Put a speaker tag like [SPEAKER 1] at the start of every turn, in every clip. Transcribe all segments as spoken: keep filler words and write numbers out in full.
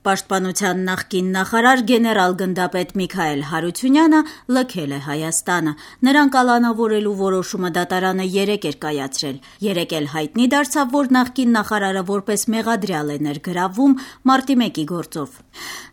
[SPEAKER 1] Պաշտպանության նախկին նախարար գեներալ գնդապետ Միքայել Հարությունյանը լքել է Հայաստանը։ Նրան կալանավորելու որոշումը դատարանը երեկ էր կայացրել։ Երեկ էլ հայտնի դարձավ, որ նախկին նախարարը որպես մեղադրյալ է ներգրավվում մարտի մեկի գործով։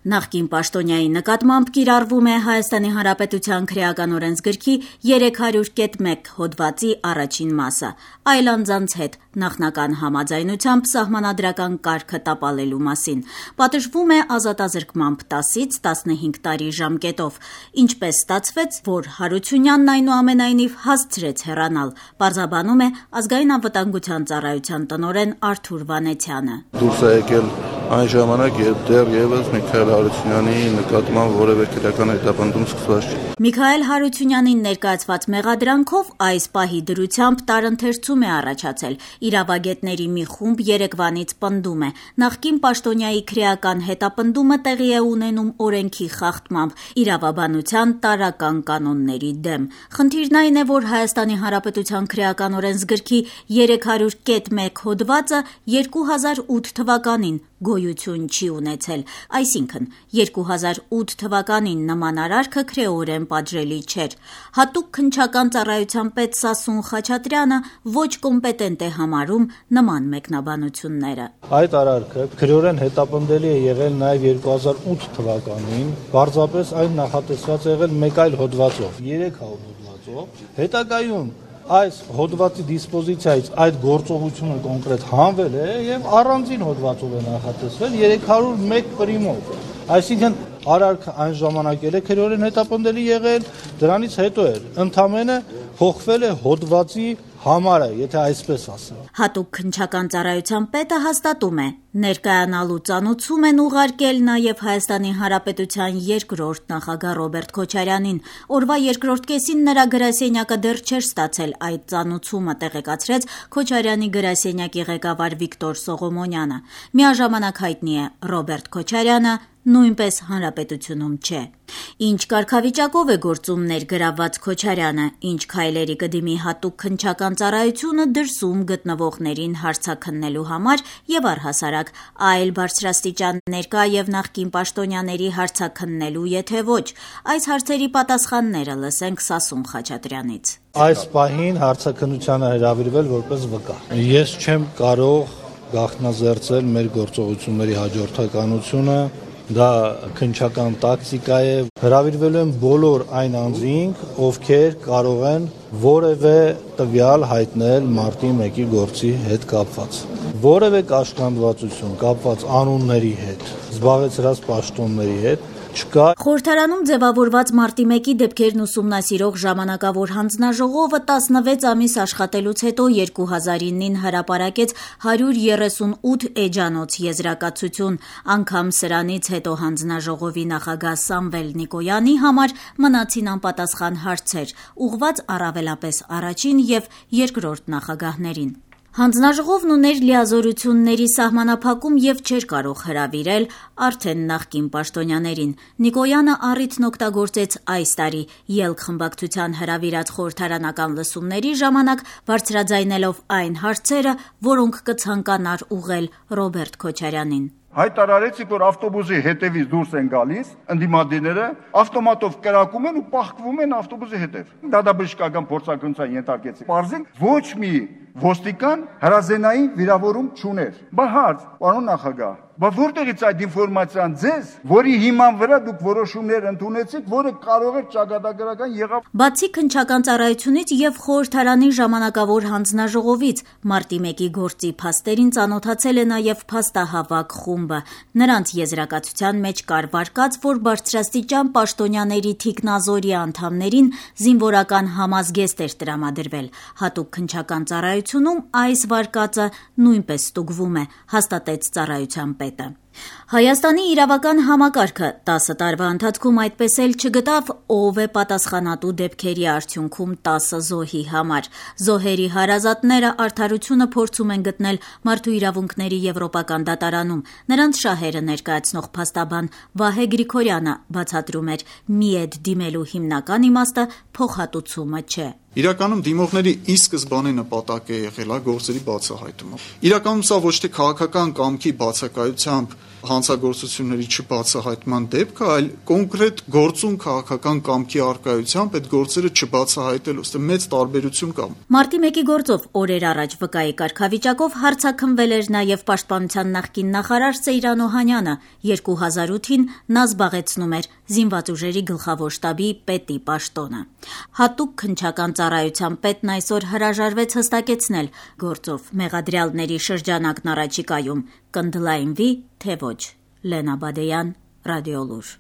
[SPEAKER 1] Նախկին պաշտոնյայի նկատմամբ կիրառվում է Հայաստանի Հանրապետության քրեական օրենսգրքի երեք հարյուր մեկ հոդվածի առաջին մասը, այլ անձանց հետ նախնական համաձայնությամբ սահմանադրական կարգը տապալելու մասին։ Պատժվում է ազատազրկմամբ տասից տասնհինգ տարի ժամկետով։ Ինչպես ստացվեց, որ Հարությունյանն այնուամենայնիվ հասցրեց հեռանալ, պարզաբանում է Ազգային անվտանգության ծառայության տնօրեն Արթուր Վանեցյանը։
[SPEAKER 2] Դուրս է եկել այն ժամանակ, երբ դեռևս Միքայել Հարությունյանի նկատմամբ որևէ քրեական հետապնդում սկսված չէ։
[SPEAKER 1] Միքայել Հարությունյանին ներկայացված մեղադրանքով այս պահի դրությամբ տարընթերցում է առաջացել։ Իրավագետների մի խումբ երեկվանից պնդում է, նախկին պաշտոնյայի քրեական հետապնդումը տեղի է ունենում օրենքի խախտմամբ, իրավաբանության տարրական կանոնների դեմ։ Խնդիրն այն է, որ Հայաստանի Հանրապետության քրեական օրենսգրքի երեք հարյուր մեկ հոդվածը երկու հազար ութ թվականին գոյություն չի ունեցել, այսինքն երկու հազար ութ թվականին նման արարքը քրեորեն պատժելի չէր։ Հատուկ քննչական ծառայության պետ Սասուն Խաչատրյանը ոչ կոմպետենտ է համարում նման մեկնաբանությունները։
[SPEAKER 3] Այդ արարքը քրեորեն հետապնդելի է եղել նաև երկու հազար ութ թվականին, պարզապես այն նախատեսված է եղել մեկ այլ հոդվածով, երեք հարյուր հոդվածով։ Հետագայում այս հոդվածի դիսպոզիցիայից այդ գործողությունը կոնկրետ հանվել է եւ առանձին հոդվածով է նախատեսվել երեք հարյուր մեկ պրիմով։ Այսինքն արարքը այն ժամանակ էլ է քրեորեն հետապնդելի եղել, դրանից հետո էր ընդամենը փոխվել է հոդվածի համարը, եթե այսպես ասեմ։
[SPEAKER 1] Հատուկ քննչական ծառայության պետը հաստատում է, ներկայանալու ծանուցում են ուղարկել նաև Հայաստանի Հանրապետության երկրորդ նախագահ Ռոբերտ Քոչարյանին։ Օրվա երկրորդ կեսին նրա գրասենյակը դեռ չէր ստացել այդ ծանուցումը, տեղեկացրեց Քոչարյանի գրասենյակի ղեկավար Վիկտոր Սողոմոնյանը։ Միաժամանակ հայտնի է Ռոբերտ Քոչարյանը նույնպես հանրապետությունում չէ։ Ինչ կարգավիճակով է գործում ներգրավված Քոչարյանը, ինչ քայլերի կդիմի հատուկ քննչական ծառայությունը դրսում գտնվողներին հարցաքննելու համար եւ առհասարակ այլ բարձրաստիճան ներկա եւ նախկին պաշտոնյաների հարցաքննելու, եթե ոչ, այս հարցերի պատասխանները լսենք Սասուն Խաչատրյանից։
[SPEAKER 3] Այս պահին հարցաքննությանը հրավիրվել որպես վկա։ Ես չեմ կարող գաղտնազերծել մեր գործողությունների հաջորդականությունը, դա քննչական տակտիկա է, հրավիրվելու են բոլոր այն անձինք, ովքեր կարող են որևէ տվյալ հայտնել մարտի մեկի գործի հետ կապված։ Որևէ կաշկանդվածություն կապված անունների հետ, զբաղեցրած պաշտոնների հետ չկա։
[SPEAKER 1] Խորհրդարանում ձևավորված մարտի մեկի դեպքերն ուսումնասիրող ժամանակավոր հանձնաժողովը տասնվեց ամիս աշխատելուց հետո երկու հազար իննին հրապարակեց հարյուր երեսունութ էջանոց եզրակացություն, անգամ սրանից հետո հանձնաժողովի նախագահ Սամվել Նիկոյանի համար մնացին անպատասխան հարցեր, ուղղված առավելապես առաջին եւ երկրորդ նախագահներին։ Հանձնաժողովն ուներ լիազորությունների սահմանափակում եւ չէր կարող հրավիրել արդեն նախկին պաշտոնյաներին։ Նիկոյանը առիթն օգտագործեց այս տարի ելք խմբակցության հրավիրած խորհրդարանական լսումների ժամանակ, բարձրաձայնելով այն հարցերը, որոնք կցանկանար ուղղել Ռոբերտ Քոչարյանին։
[SPEAKER 4] Հայտարարեցիք, որ ավտոբուսի հետևից դուրս են գալիս, ընդդիմադիրները ավտոմատով կրակում են ու պահկվում են ավտոբուսի հետև։ Դատաբժշկական փորձարկումության ենթարկեցիք։ Պարզենք, ոչ մի ոստիկան հրազենային վիրավորում չուներ։ Բա հարց, պարոն նախագահ, բա որտեղից այդ ինֆորմացիան ձեզ, որի հիման վրա դուք որոշումներ ընդունեցիք, որը կարող է ճակատագրական եղավ։
[SPEAKER 1] Բացի քննչական ծառայությունից եւ խորհրդարանի ժամանակավոր հանձնաժողովից մարտի մեկի գործի փաստերին ծանոթացել է նաեւ փաստահավաք խումբը։ Նրանց եզրակացության մեջ կար վարկած, որ բարձրաստիճան պաշտոնյաների թիկնազորի անդամներին զինվորական համազգեստ էր տրամադրվել։ Հատուկ քննչական ծառայությունում այս վարկածը նույնպես ստուգվում է, հաստատեց ծառայության պետը։ Հայաստանի իրավական համակարգը տասը տարվա ընթացքում այդպես էլ չգտավ ով է պատասխանատու դեպքերի արդյունքում տասը զոհի համար։ Զոհերի հարազատները արդարությունը փորձում են գտնել Մարդու իրավունքների եվրոպական դատարանում։ Նրանց շահերը ներկայացնող փաստաբան Վահե Գրիգորյանը բացատրում էր՝ միեդ դիմելու հիմնական իմաստը փոխհատուցումը չէ։
[SPEAKER 5] Իրականում դիմողների ի սկզբանե նպատակը եղել է գործերի բացահայտումը։ Իրականում սա ոչ թե քաղաքական կամքի բացակայությամբ հանցագործությունների չբացահայտման դեպքը, այլ կոնկրետ գործուն քաղաքական կամքի առկայությամբ այդ գործերը չբացահայտելու, ըստ մեծ տարբերություն կա։
[SPEAKER 1] Մարտի մեկի գործով օրեր առաջ վկայի կարգավիճակով հարցաքննվել էր նաև Պաշտպանության նախկին նախարար Սեյրան Օհանյանը, երկու հազար ութին նա զբաղեցնում էր Զինված ուժերի գլխավոր շտաբի պետի պաշտոնը։ Հատուկ քննչական ծառայության պետն այսօր հրաժարվեց հստակեցնել գործով մեղադրյալների շրջանակն առաջիկայում կընդլայնվի, թե ոչ։ Լենա Բադեյան, Ռադիոլուր։